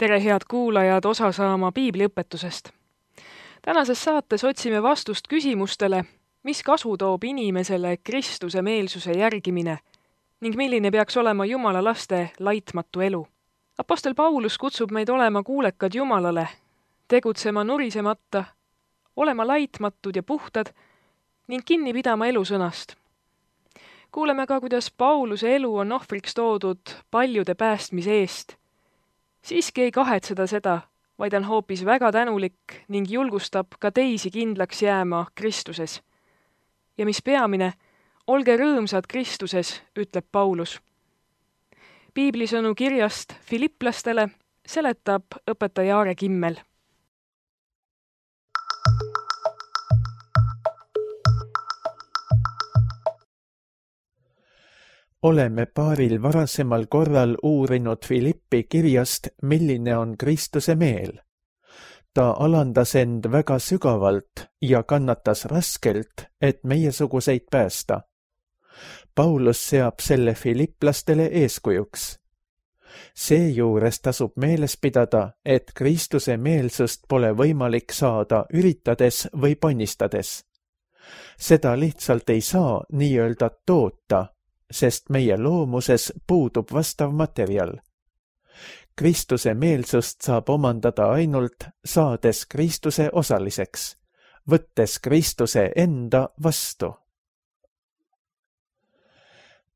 Tere, head kuulajad, osa saama piibliõpetusest. Tänases saates otsime vastust küsimustele, mis kasu toob inimesele Kristuse meelsuse järgimine ning milline peaks olema Jumala laste laitmatu elu. Apostel Paulus kutsub meid olema kuulekad Jumalale, tegutsema nurisemata, olema laitmatud ja puhtad ning kinni pidama elusõnast. Kuuleme ka, kuidas Pauluse elu on ohvriks toodud paljude päästmise eest. Siiski ei kahetseda seda, vaid on hoopis väga tänulik ning julgustab ka teisi kindlaks jääma Kristuses. Ja mis peamine, olge rõõmsad Kristuses, ütleb Paulus. Piiblisõnu kirjast Filiplastele seletab õpetaja Aare Kimmel. Oleme paaril varasemal korral uurinud Filippi kirjast, milline on Kristuse meel. Ta alandas end väga sügavalt ja kannatas raskelt, et meiesuguseid päästa. Paulus seab selle filiplastele eeskujuks. Seejuures tasub meeles pidada, et Kristuse meelsust pole võimalik saada üritades või ponnistades. Seda lihtsalt ei saa nii-öelda toota, sest meie loomuses puudub vastav materjal. Kristuse meelsust saab omandada ainult saades Kristuse osaliseks, võttes Kristuse enda vastu.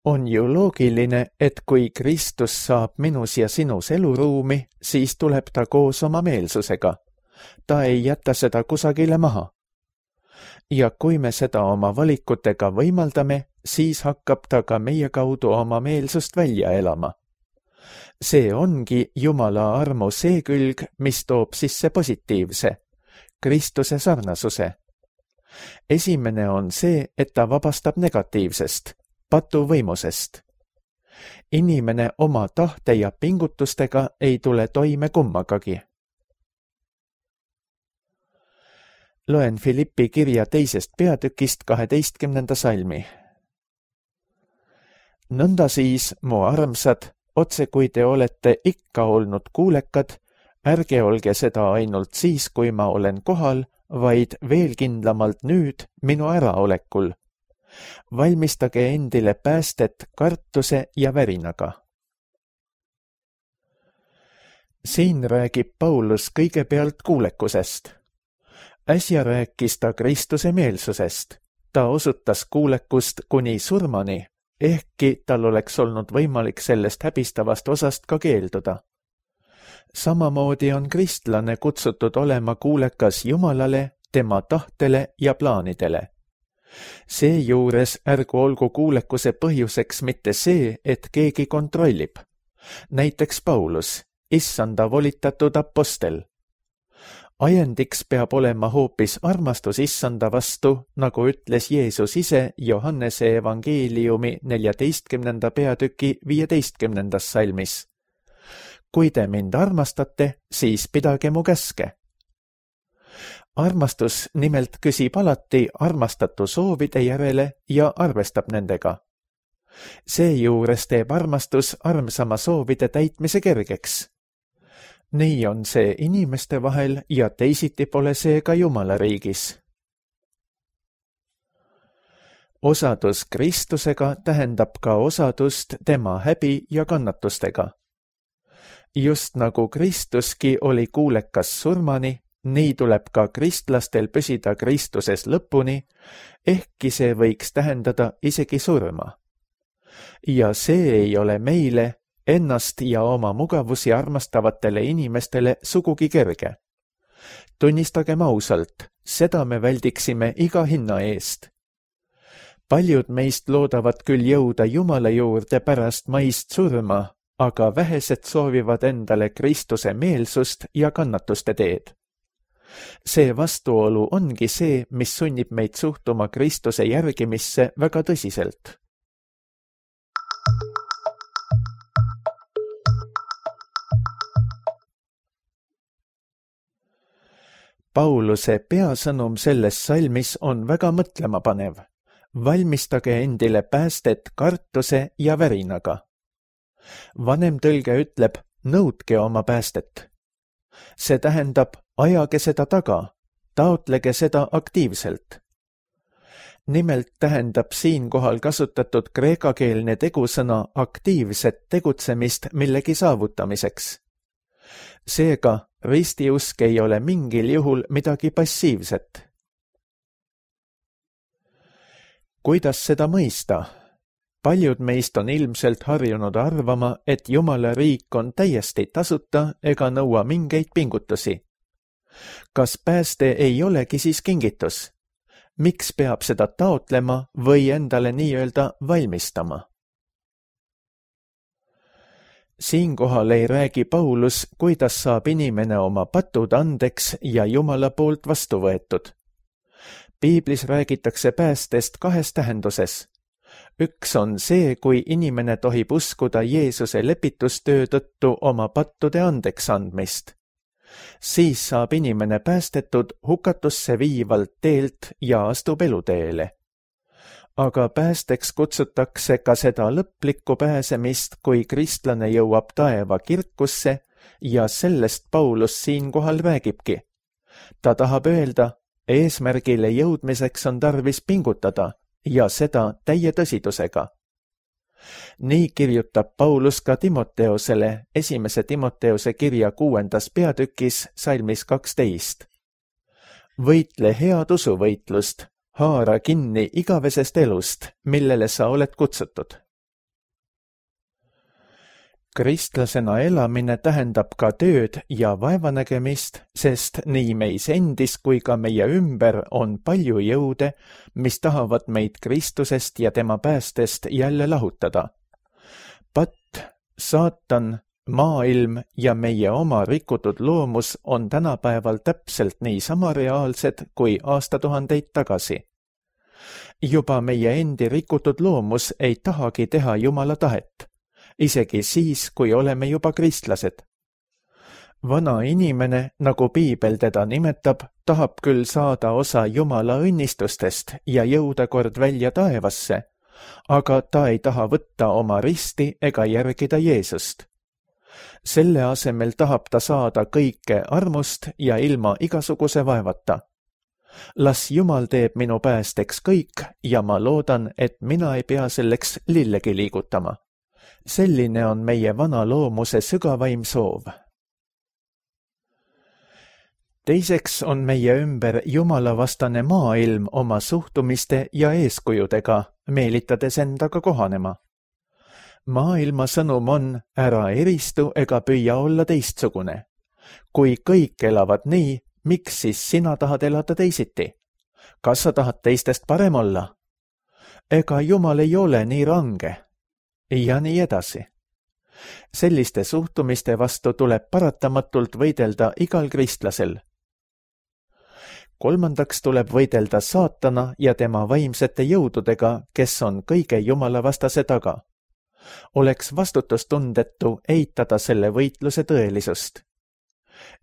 On ju loogiline, et kui Kristus saab minus ja sinus eluruumi, siis tuleb ta koos oma meelsusega. Ta ei jäta seda kusagile maha. Ja kui me seda oma valikutega võimaldame, siis hakkab ta ka meie kaudu oma meelsust välja elama. See ongi Jumala armu see külg, mis toob sisse positiivse, Kristuse sarnasuse. Esimene on see, et ta vabastab negatiivsest, patuvõimusest. Inimene oma tahte ja pingutustega ei tule toime kummagagi. Loen Filippi kirja 2. peatükist 12. salmi. Nõnda siis, mu armsad, otse kui te olete ikka olnud kuulekad, ärge olge seda ainult siis, kui ma olen kohal, vaid veel kindlamalt nüüd minu äraolekul. Valmistage endile päästet kartuse ja värinaga. Siin räägib Paulus kõigepealt kuulekusest. Äsja rääkis ta Kristuse meelsusest. Ta osutas kuulekust kuni surmani, ehkki tal oleks olnud võimalik sellest häbistavast osast ka keelduda. Samamoodi on kristlane kutsutud olema kuulekas Jumalale, tema tahtele ja plaanidele. Seejuures ärgu olgu kuulekuse põhjuseks mitte see, et keegi kontrollib. Näiteks Paulus, issanda volitatud apostel. Ajendiks peab olema hoopis armastus issanda vastu, nagu ütles Jeesus ise Johannese evangeeliumi 14. peatüki 15. salmis. Kui te mind armastate, siis pidage mu käske. Armastus nimelt küsib alati armastatu soovide järele ja arvestab nendega. Seejuures teeb armastus armsama soovide täitmise kergeks. Nii on see inimeste vahel ja teisiti pole see ka Jumala riigis. Osadus Kristusega tähendab ka osadust tema häbi ja kannatustega. Just nagu Kristuski oli kuulekas surmani, nii tuleb ka kristlastel püsida Kristuses lõpuni, ehkki see võiks tähendada isegi surma. Ja see ei ole meile, ennast ja oma mugavusi armastavatele inimestele sugugi kerge. Tunnistagem ausalt, seda me väldiksime iga hinna eest. Paljud meist loodavad küll jõuda Jumala juurde pärast maist surma, aga vähesed soovivad endale Kristuse meelsust ja kannatuste teed. See vastuolu ongi see, mis sunnib meid suhtuma Kristuse järgimisse väga tõsiselt. Pauluse peasõnum selles salmis on väga mõtlemapanev. Valmistage endile päästet kartuse ja värinaga. Vanem tõlge ütleb, nõudke oma päästet. See tähendab, ajage seda taga, taotlege seda aktiivselt. Nimelt tähendab siinkohal kasutatud kreekakeelne tegusõna aktiivset tegutsemist millegi saavutamiseks. Seega, ristiusk ei ole mingil juhul midagi passiivset. Kuidas seda mõista? Paljud meist on ilmselt harjunud arvama, et Jumala riik on täiesti tasuta ega nõua mingeid pingutusi. Kas pääste ei olegi siis kingitus? Miks peab seda taotlema või endale nii-öelda valmistama? Siinkohal ei räägi Paulus, kuidas saab inimene oma patud andeks ja Jumala poolt vastu võetud. Piiblis räägitakse päästest kahes tähenduses. Üks on see, kui inimene tohib uskuda Jeesuse lepitustöö tõttu oma pattude andeks andmist. Siis saab inimene päästetud hukatusse viivalt teelt ja astub eluteele. Aga päästeks kutsutakse ka seda lõplikku pääsemist, kui kristlane jõuab taeva kirkusse ja sellest Paulus siinkohal räägibki. Ta tahab öelda, eesmärgile jõudmiseks on tarvis pingutada ja seda täie tõsidusega. Nii kirjutab Paulus ka Timoteosele 1. Timoteose kirja 6. peatükis salmis 12. Võitle head usuvõitlust, haara kinni igavesest elust, millele sa oled kutsutud. Kristlasena elamine tähendab ka tööd ja vaevanägemist, sest nii meis endis kui ka meie ümber on palju jõude, mis tahavad meid Kristusest ja tema päästest jälle lahutada. Patt, saatan, maailm ja meie oma rikutud loomus on tänapäeval täpselt niisama reaalsed kui aastatuhandeid tagasi. Juba meie endi rikutud loomus ei tahagi teha Jumala tahet, isegi siis, kui oleme juba kristlased. Vana inimene, nagu Piibel teda nimetab, tahab küll saada osa Jumala õnnistustest ja jõuda kord välja taevasse, aga ta ei taha võtta oma risti ega järgida Jeesust. Selle asemel tahab ta saada kõike armust ja ilma igasuguse vaevata. Las Jumal teeb minu päästeks kõik ja ma loodan, et mina ei pea selleks lillegi liigutama. Selline on meie vana loomuse sügavaim soov. Teiseks on meie ümber jumalavastane maailm oma suhtumiste ja eeskujudega, meelitades endaga kohanema. Maailma sõnum on, ära eristu ega püüa olla teistsugune. Kui kõik elavad nii, miks siis sina tahad elada teisiti? Kas sa tahad teistest parem olla? Ega Jumal ei ole nii range. Ja nii edasi. Selliste suhtumiste vastu tuleb paratamatult võidelda igal kristlasel. Kolmandaks tuleb võidelda saatana ja tema vaimsete jõududega, kes on kõige jumalavastase taga. Oleks vastutustundetu eitada selle võitluse tõelisust.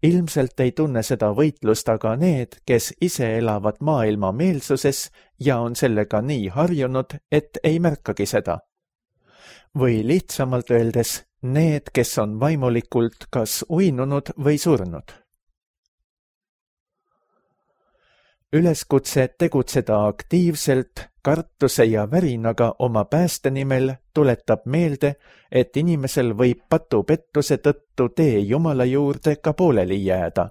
Ilmselt ei tunne seda võitlust aga need, kes ise elavad maailma meelsuses ja on sellega nii harjunud, et ei märkagi seda. Või lihtsamalt öeldes, need, kes on vaimulikult kas uinunud või surnud. Üleskutse tegutseda aktiivselt, kartuse ja värinaga oma pääste nimel tuletab meelde, et inimesel võib patupettuse tõttu tee Jumala juurde ka pooleli jääda.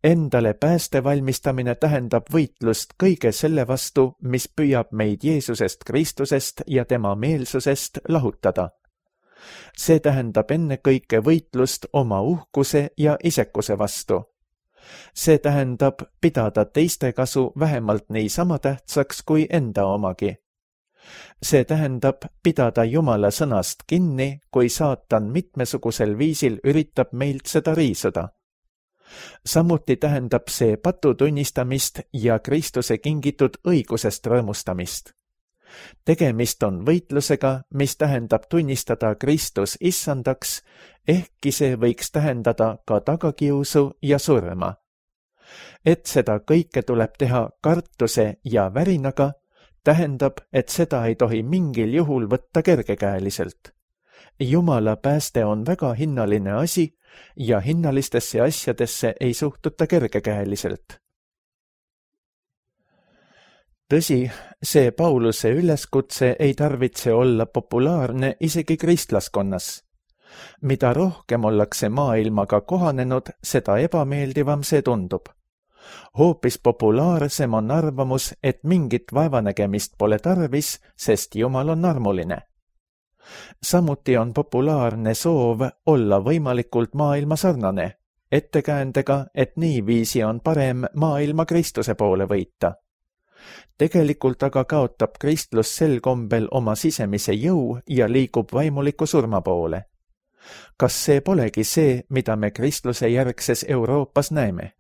Endale pääste valmistamine tähendab võitlust kõige selle vastu, mis püüab meid Jeesusest Kristusest ja tema meelsusest lahutada. See tähendab ennekõike võitlust oma uhkuse ja isekuse vastu. See tähendab pidada teiste kasu vähemalt niisama tähtsaks kui enda omagi. See tähendab pidada Jumala sõnast kinni, kui saatan mitmesugusel viisil üritab meilt seda riisuda. Samuti tähendab see patu tunnistamist ja Kristuse kingitud õigusest rõõmustamist. Tegemist on võitlusega, mis tähendab tunnistada Kristus issandaks, ehkki see võiks tähendada ka tagakiusu ja surma. Et seda kõike tuleb teha kartuse ja värinaga, tähendab, et seda ei tohi mingil juhul võtta kergekäeliselt. Jumala pääste on väga hinnaline asi ja hinnalistesse asjadesse ei suhtuta kergekäeliselt. Tõsi, see Pauluse üleskutse ei tarvitse olla populaarne isegi kristlaskonnas. Mida rohkem ollakse maailmaga kohanenud, seda ebameeldivam see tundub. Hoopis populaarsem on arvamus, et mingit vaevanägemist pole tarvis, sest Jumal on armuline. Samuti on populaarne soov olla võimalikult maailma sarnane, ettekäändega, et niiviisi on parem maailma Kristuse poole võita. Tegelikult aga kaotab kristlus sel kombel oma sisemise jõu ja liigub vaimuliku surma poole. Kas see polegi see, mida me kristluse järgses Euroopas näeme?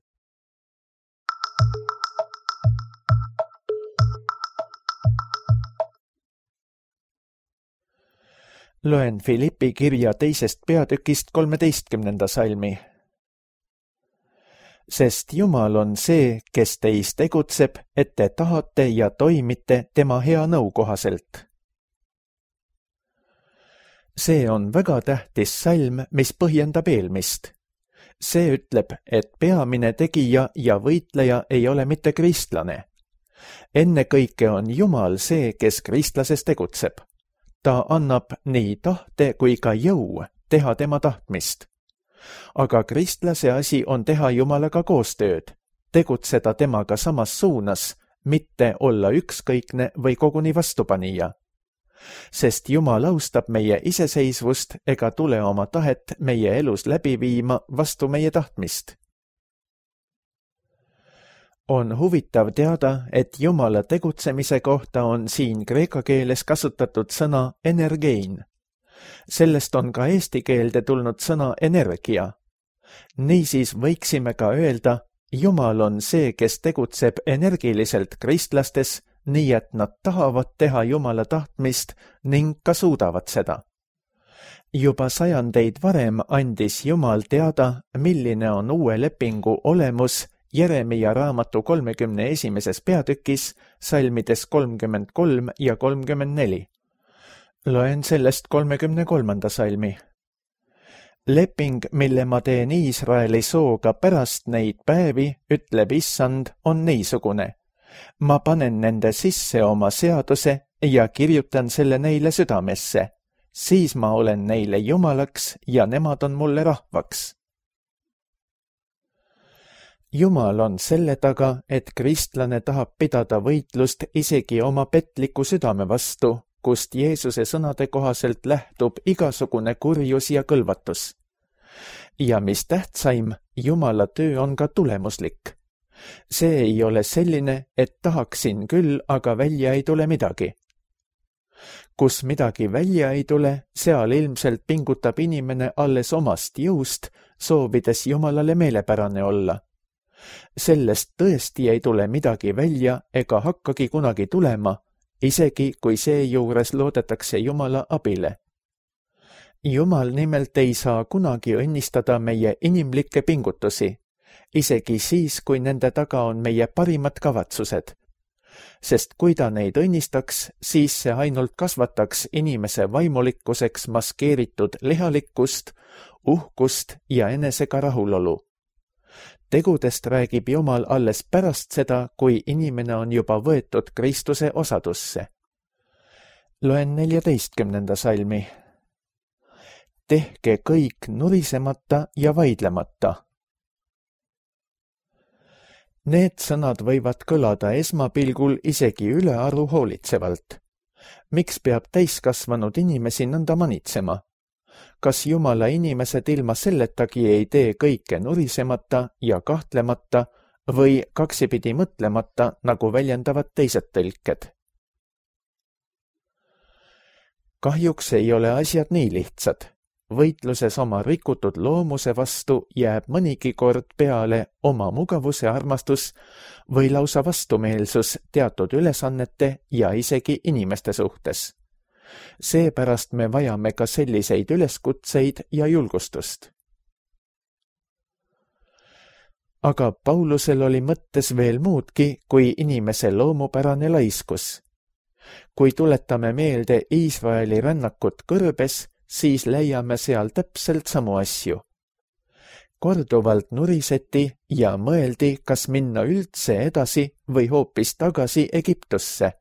Loen Filippi kirja 2. peatükist 13. salmi. Sest Jumal on see, kes teis tegutseb, et te tahate ja toimite tema hea nõu kohaselt. See on väga tähtis salm, mis põhjendab eelmist. See ütleb, et peamine tegija ja võitleja ei ole mitte kristlane. Ennekõike on Jumal see, kes kristlases tegutseb. Ta annab nii tahte kui ka jõu teha tema tahtmist. Aga kristlase asi on teha Jumalaga koostööd, tegutseda temaga samas suunas, mitte olla ükskõikne või koguni vastupanija. Sest Jumal austab meie iseseisvust ega tule oma tahet meie elus läbi viima vastu meie tahtmist. On huvitav teada, et Jumala tegutsemise kohta on siin kreeka keeles kasutatud sõna energein. Sellest on ka eesti keelde tulnud sõna energia. Niisiis võiksime ka öelda, Jumal on see, kes tegutseb energiliselt kristlastes, nii et nad tahavad teha Jumala tahtmist ning ka suudavad seda. Juba sajandeid varem andis Jumal teada, milline on uue lepingu olemus Jeremia raamatu 31. peatükis, salmides 33 ja 34. Loen sellest 33. salmi. Leping, mille ma teen Iisraeli sooga pärast neid päevi, ütleb Issand, on niisugune. Ma panen nende sisse oma seaduse ja kirjutan selle neile südamesse. Siis ma olen neile Jumalaks ja nemad on mulle rahvaks. Jumal on selle taga, et kristlane tahab pidada võitlust isegi oma petliku südame vastu, kust Jeesuse sõnade kohaselt lähtub igasugune kurjus ja kõlvatus. Ja mis tähtsaim, Jumala töö on ka tulemuslik. See ei ole selline, et tahaksin küll, aga välja ei tule midagi. Kus midagi välja ei tule, seal ilmselt pingutab inimene alles omast jõust, soovides Jumalale meelepärane olla. Sellest tõesti ei tule midagi välja ega hakkagi kunagi tulema, isegi kui seejuures loodetakse Jumala abile. Jumal nimelt ei saa kunagi õnnistada meie inimlikke pingutusi, isegi siis, kui nende taga on meie parimad kavatsused. Sest kui ta neid õnnistaks, siis see ainult kasvataks inimese vaimulikkuseks maskeeritud lihalikkust, uhkust ja enesega rahulolu. Tegudest räägib Jumal alles pärast seda, kui inimene on juba võetud Kristuse osadusse. Loen 14. salmi. Tehke kõik nurisemata ja vaidlemata. Need sõnad võivad kõlada esmapilgul isegi ülearu hoolitsevalt. Miks peab täiskasvanud inimesi nõnda manitsema? Kas Jumala inimesed ilma selletagi ei tee kõike nurisemata ja kahtlemata või kaksipidi mõtlemata, nagu väljendavad teised tõlked? Kahjuks ei ole asjad nii lihtsad. Võitluses oma rikutud loomuse vastu jääb mõnigi kord peale oma mugavuse armastus või lausa vastumeelsus teatud ülesannete ja isegi inimeste suhtes. Seepärast me vajame ka selliseid üleskutseid ja julgustust. Aga Paulusel oli mõttes veel muudki kui inimese loomupärane laiskus. Kui tuletame meelde Iisraeli rännakut kõrbes, siis leiame seal täpselt samu asju. Korduvalt nuriseti ja mõeldi, kas minna üldse edasi või hoopis tagasi Egiptusse.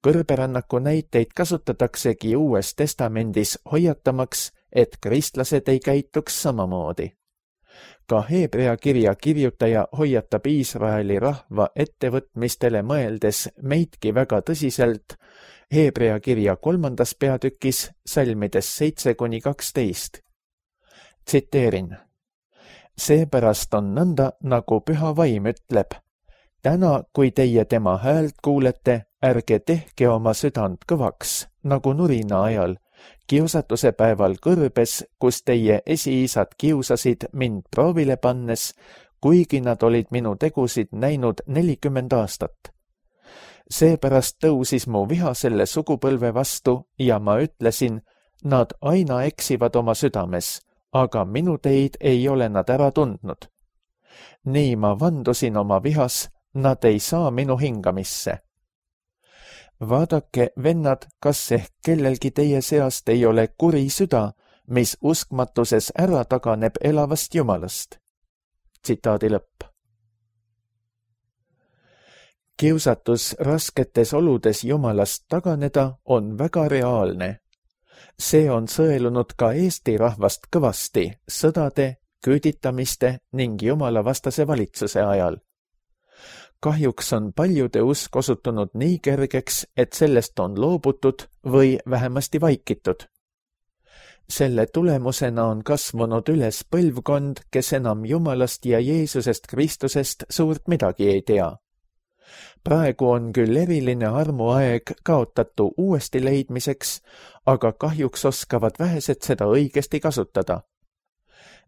Kõrberännaku näiteid kasutataksegi Uues Testamendis hoiatamaks, et kristlased ei käituks samamoodi. Ka Hebrea kirja kirjutaja hoiatab Iisraeli rahva ettevõtmistele mõeldes meidki väga tõsiselt Hebrea kirja 3. peatükis salmides 7-12. Tsiteerin. Seepärast on nõnda, nagu Püha Vaim ütleb. Täna, kui teie tema häält kuulete, ärge tehke oma südant kõvaks, nagu nurina ajal, kiusatuse päeval kõrbes, kus teie esiisad kiusasid mind proovile pannes, kuigi nad olid minu tegusid näinud 40 aastat. Seepärast tõusis mu viha selle sugupõlve vastu ja ma ütlesin, nad aina eksivad oma südames, aga minu teid ei ole nad ära tundnud. Nii ma vandusin oma vihas, nad ei saa minu hingamisse. Vaadake, vennad, kas ehk kellelgi teie seast ei ole kuri süda, mis uskmatuses ära taganeb elavast Jumalast. Tsitaadi lõpp. Kiusatus rasketes oludes Jumalast taganeda on väga reaalne. See on sõelunud ka Eesti rahvast kõvasti sõdade, küüditamiste ning Jumalavastase valitsuse ajal. Kahjuks on paljude usk osutunud nii kergeks, et sellest on loobutud või vähemasti vaikitud. Selle tulemusena on kasvanud üles põlvkond, kes enam Jumalast ja Jeesusest Kristusest suurt midagi ei tea. Praegu on küll eriline armuaeg kaotatu uuesti leidmiseks, aga kahjuks oskavad vähesed seda õigesti kasutada.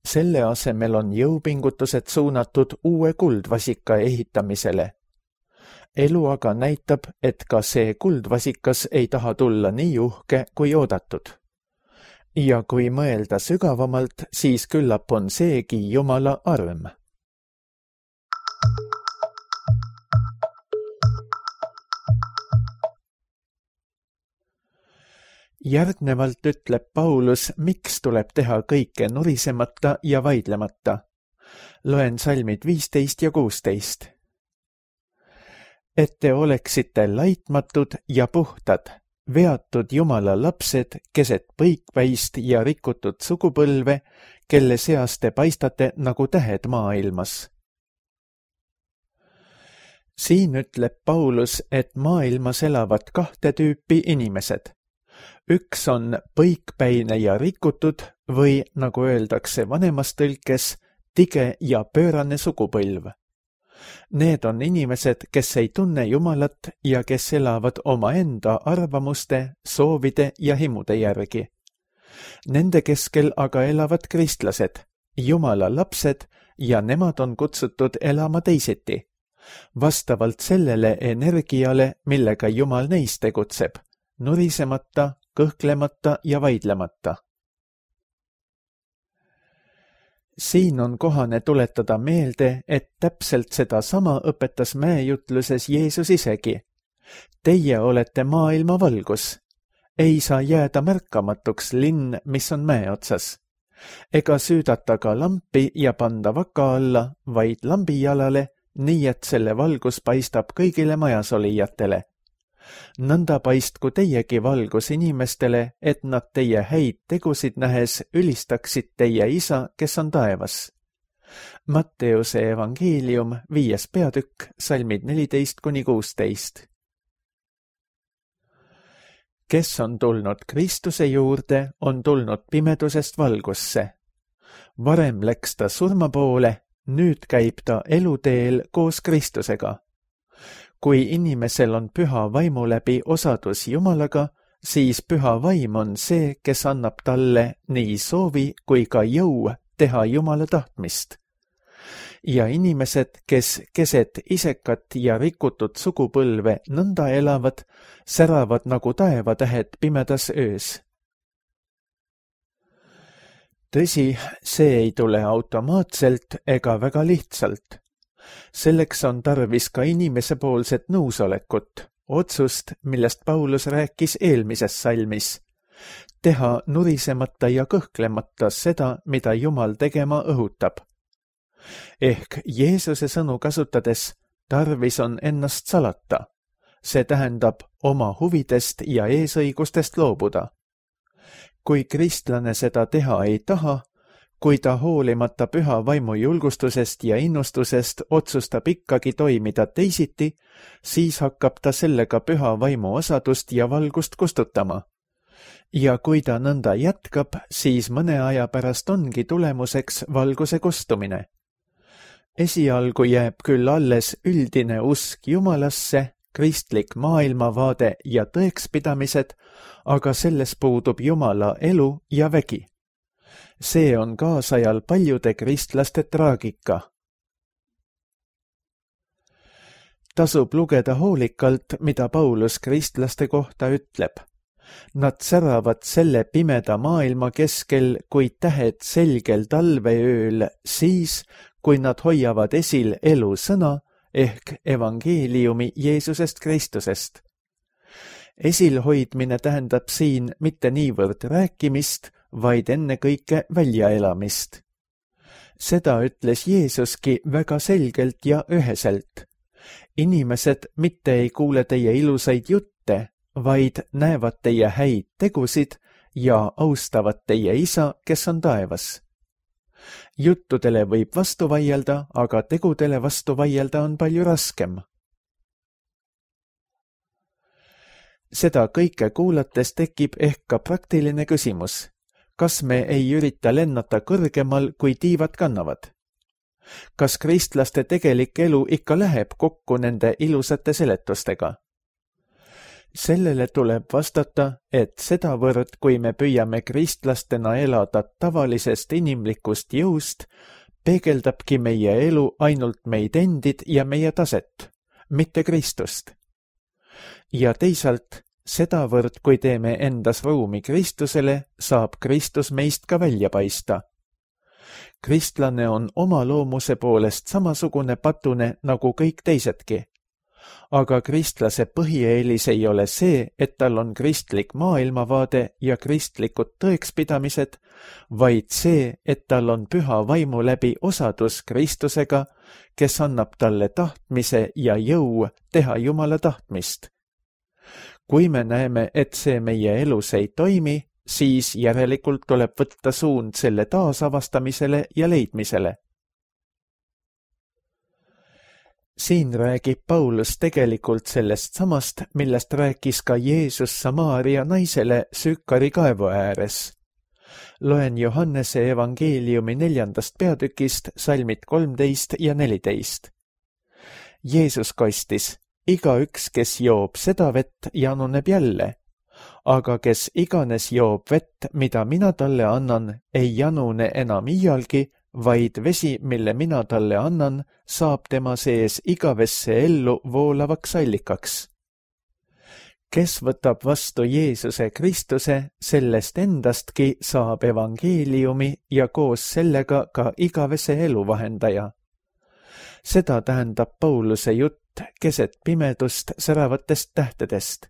Selle asemel on jõupingutused suunatud uue kuldvasika ehitamisele. Elu aga näitab, et ka see kuldvasikas ei taha tulla nii uhke kui oodatud. Ja kui mõelda sügavamalt, siis küllap on seegi Jumala arm. Järgnevalt ütleb Paulus, miks tuleb teha kõike nurisemata ja vaidlemata. Loen salmid 15 ja 16. Et te oleksite laitmatud ja puhtad, veatud Jumala lapsed keset põikpäist ja rikutud sugupõlve, kelle seas te paistate nagu tähed maailmas. Siin ütleb Paulus, et maailmas elavad 2 tüüpi inimesed. Üks on põikpäine ja rikutud või, nagu öeldakse vanemas tõlkes, tige ja pöörane sugupõlv. Need on inimesed, kes ei tunne Jumalat ja kes elavad omaenda arvamuste, soovide ja himude järgi. Nende keskel aga elavad kristlased, Jumala lapsed ja nemad on kutsutud elama teisiti, vastavalt sellele energiale, millega Jumal neis tegutseb, nurisemata, kõhklemata ja vaidlemata. Siin on kohane tuletada meelde, et täpselt seda sama õpetas mäejutluses Jeesus isegi. Teie olete maailma valgus. Ei saa jääda märkamatuks linn, mis on mäe otsas. Ega süüdata ka lampi ja panda vaka alla, vaid lambijalale, nii et selle valgus paistab kõigile majas olijatele. Nõnda paistku teiegi valgus inimestele, et nad teie häid tegusid nähes ülistaksid teie isa, kes on taevas. Matteuse evangeelium 5. peatükk, salmid 14-16. Kes on tulnud Kristuse juurde, on tulnud pimedusest valgusse. Varem läks ta surma poole, nüüd käib ta eluteel koos Kristusega. Kui inimesel on püha vaimu läbi osadus Jumalaga, siis püha vaim on see, kes annab talle nii soovi kui ka jõu teha Jumala tahtmist. Ja inimesed, kes keset isekat ja rikutud sugupõlve nõnda elavad, säravad nagu taevatähed pimedas öös. Tõsi, see ei tule automaatselt ega väga lihtsalt. Selleks on tarvis ka inimesepoolset nõusolekut, otsust, millest Paulus rääkis eelmises salmis. teha nurisemata ja kõhklemata seda, mida Jumal tegema õhutab. Ehk Jeesuse sõnu kasutades tarvis on ennast salata. See tähendab oma huvidest ja eesõigustest loobuda. Kui kristlane seda teha ei taha, kui ta hoolimata püha vaimu julgustusest ja innustusest otsustab ikkagi toimida teisiti, siis hakkab ta sellega püha vaimu osadust ja valgust kustutama. Ja kui ta nõnda jätkab, siis mõne aja pärast ongi tulemuseks valguse kustumine. Esialgu jääb küll alles üldine usk Jumalasse, kristlik maailmavaade ja tõekspidamised, aga selles puudub Jumala elu ja vägi. See on kaasajal paljude kristlaste traagika. Tasub lugeda hoolikalt, mida Paulus kristlaste kohta ütleb. Nad säravad selle pimeda maailma keskel kui tähed selgel talveööl siis, kui nad hoiavad esil elu sõna ehk evangeeliumi Jeesusest Kristusest. Esilhoidmine tähendab siin mitte niivõrd rääkimist, vaid ennekõike väljaelamist. Seda ütles Jeesuski väga selgelt ja üheselt. Inimesed mitte ei kuule teie ilusaid jutte, vaid näevad teie häid tegusid ja austavad teie isa, kes on taevas. Juttudele võib vastu vaielda, aga tegudele vastu vaielda on palju raskem. Seda kõike kuulates tekib ehk ka praktiline küsimus. Kas me ei ürita lennata kõrgemal, kui tiivad kannavad? Kas kristlaste tegelik elu ikka läheb kokku nende ilusate seletustega? Sellele tuleb vastata, et sedavõrd, kui me püüame kristlastena elada tavalisest inimlikust jõust, peegeldabki meie elu ainult meid endid ja meie taset, mitte Kristust. Ja teisalt, sedavõrd, kui teeme endas ruumi Kristusele, saab Kristus meist ka välja paista. Kristlane on oma loomuse poolest samasugune patune nagu kõik teisedki. Aga kristlase põhieelis ei ole see, et tal on kristlik maailmavaade ja kristlikud tõekspidamised, vaid see, et tal on püha vaimu läbi osadus Kristusega, kes annab talle tahtmise ja jõu teha Jumala tahtmist. Kui me näeme, et see meie elus ei toimi, siis järelikult tuleb võtta suund selle taasavastamisele ja leidmisele. Siin räägib Paulus tegelikult sellest samast, millest rääkis ka Jeesus Samaaria naisele Süükari kaevu ääres. Loen Johannese evangeeliumi 4. peatükist salmid 13 ja 14. Jeesus kostis, igaüks, kes joob seda vett, januneb jälle, aga kes iganes joob vett, mida mina talle annan, ei janune enam iialgi, vaid vesi, mille mina talle annan, saab tema sees igavesse ellu voolavaks allikaks. Kes võtab vastu Jeesuse Kristuse, sellest endastki saab evangeeliumi ja koos sellega ka igavese elu vahendaja. Seda tähendab Pauluse jutt keset pimedust säravatest tähtedest.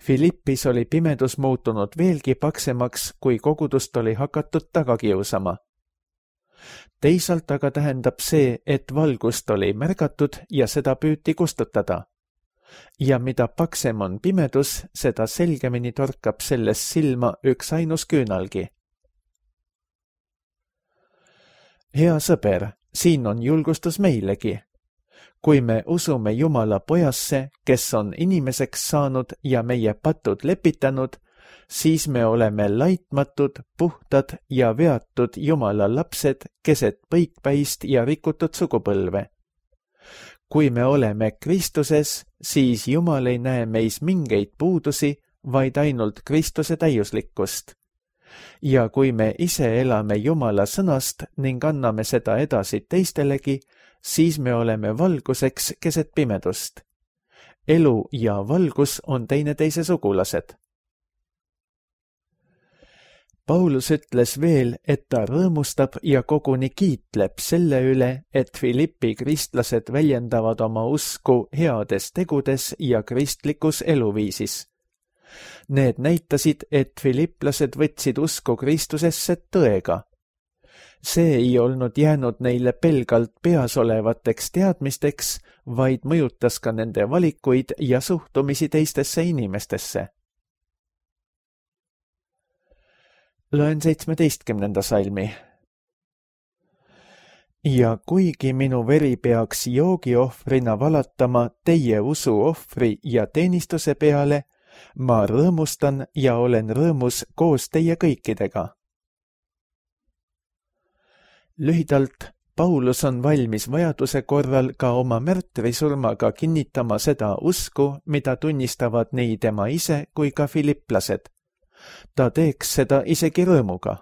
Filippis oli pimedus muutunud veelgi paksemaks, kui kogudust oli hakatud taga kiusama. Teisalt aga tähendab see, et valgust oli märgatud ja seda püüti kustutada. Ja mida paksem on pimedus, seda selgemini torkab sellest silma üks ainus küünalgi. Hea sõber, siin on julgustus meilegi. Kui me usume Jumala pojasse, kes on inimeseks saanud ja meie patud lepitanud, siis me oleme laitmatud, puhtad ja veatud Jumala lapsed keset põikpäist ja rikutud sugupõlve. Kui me oleme Kristuses, siis Jumal ei näe meis mingeid puudusi, vaid ainult Kristuse täiuslikkust. Ja kui me ise elame Jumala sõnast ning anname seda edasi teistelegi, siis me oleme valguseks keset pimedust. Elu ja valgus on teineteise sugulased. Paulus ütles veel, et ta rõõmustab ja koguni kiitleb selle üle, et Filippi kristlased väljendavad oma usku heades tegudes ja kristlikus eluviisis. Need näitasid, et filiplased võtsid usku Kristusesse tõega. See ei olnud jäänud neile pelgalt peas olevateks teadmisteks, vaid mõjutas ka nende valikuid ja suhtumisi teistesse inimestesse. Loen 17. salmi. Ja kuigi minu veri peaks joogiohvrina valatama teie usuohvri ja teenistuse peale, ma rõõmustan ja olen rõõmus koos teie kõikidega. Lühidalt, Paulus on valmis vajaduse korral ka oma märtrisurmaga kinnitama seda usku, mida tunnistavad nii tema ise kui ka filiplased. Ta teeks seda isegi rõõmuga.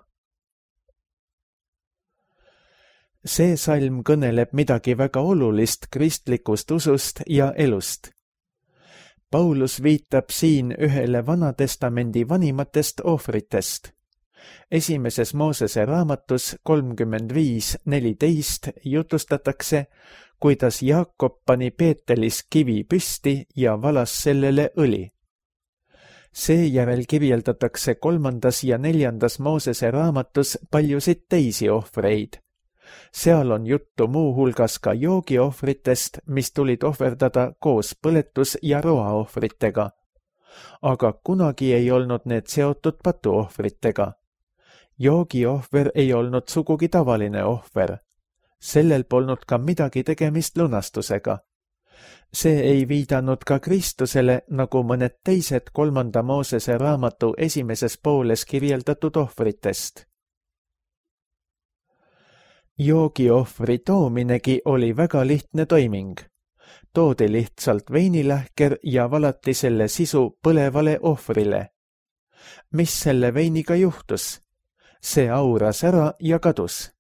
See salm kõneleb midagi väga olulist kristlikust usust ja elust. Paulus viitab siin ühele Vanatestamendi vanimatest ohvritest. Esimeses Moosese raamatus 35:14 jutustatakse, kuidas Jaakob pani Peetelis kivi püsti ja valas sellele õli. Seejärel kirjeldatakse 3. ja 4. Moosese raamatus paljusid teisi ohvreid. Seal on juttu muuhulgas ka joogiohvritest, mis tulid ohverdada koos põletus- ja roaohvritega. Aga kunagi ei olnud need seotud patuohvritega. Joogiohver ei olnud sugugi tavaline ohver. Sellel polnud ka midagi tegemist lunastusega. See ei viidanud ka Kristusele, nagu mõned teised 3. Moosese raamatu esimeses pooles kirjeldatud ohvritest. Joogiohvri toominegi oli väga lihtne toiming. Toodi lihtsalt veinilähker ja valati selle sisu põlevale ohvrile. Mis selle veiniga juhtus? See auras ära ja kadus.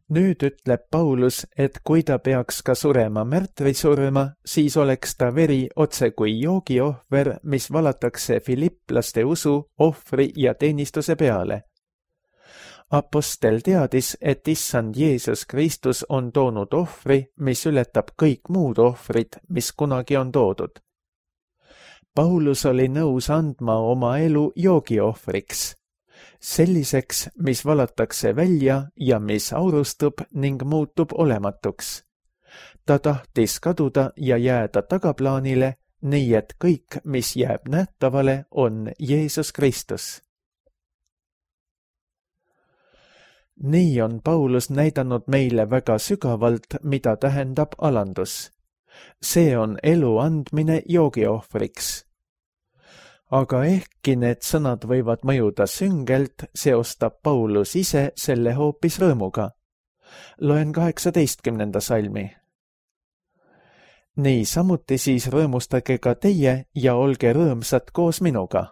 Nüüd ütleb Paulus, et kui ta peaks ka surema märtrisurma, siis oleks ta veri otse kui joogiohver, mis valatakse filiplaste usu, ohvri ja teenistuse peale. Apostel teadis, et issand Jeesus Kristus on toonud ohvri, mis ületab kõik muud ohvrid, mis kunagi on toodud. Paulus oli nõus andma oma elu joogiohvriks. Selliseks, mis valatakse välja ja mis aurustub ning muutub olematuks. Ta tahtis kaduda ja jääda tagaplaanile, nii et kõik, mis jääb nähtavale, on Jeesus Kristus. Nii on Paulus näidanud meile väga sügavalt, mida tähendab alandus. See on elu andmine joogiohvriks. Aga ehkki need sõnad võivad mõjuda süngelt, seostab Paulus ise selle hoopis rõõmuga. Loen 18. salmi. Nii samuti siis rõõmustage ka teie ja olge rõõmsad koos minuga.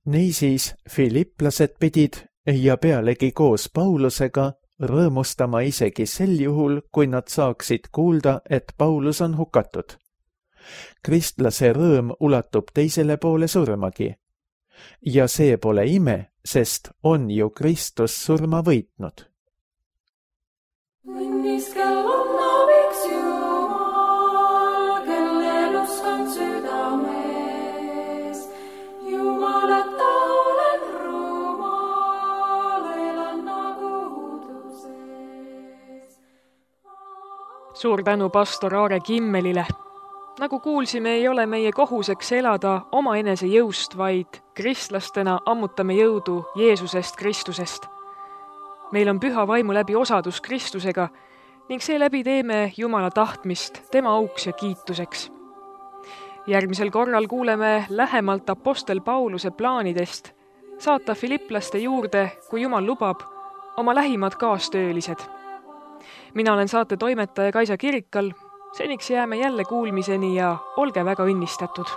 Niisiis filiplased pidid ja pealegi koos Paulusega rõõmustama isegi sel juhul, kui nad saaksid kuulda, et Paulus on hukatud. Kristlase rõõm ulatub teisele poole surmagi. Ja see pole ime, sest on ju Kristus surma võitnud. Õnniskel on abiks Jumal, kellel usk on südames. Jumalata olen rumal, elan nagu uduses. Suur tänu pastor Aare Kimmelile. Nagu kuulsime, ei ole meie kohuseks elada omaenese jõust, vaid kristlastena ammutame jõudu Jeesusest Kristusest. Meil on püha vaimu läbi osadus Kristusega ning seeläbi teeme Jumala tahtmist tema auks ja kiituseks. Järgmisel korral kuuleme lähemalt apostel Pauluse plaanidest saata filiplaste juurde, kui Jumal lubab, oma lähimad kaastöölised. Mina olen saate toimetaja Kaisa Kirikal. Seniks jääme jälle kuulmiseni ja olge väga õnnistatud.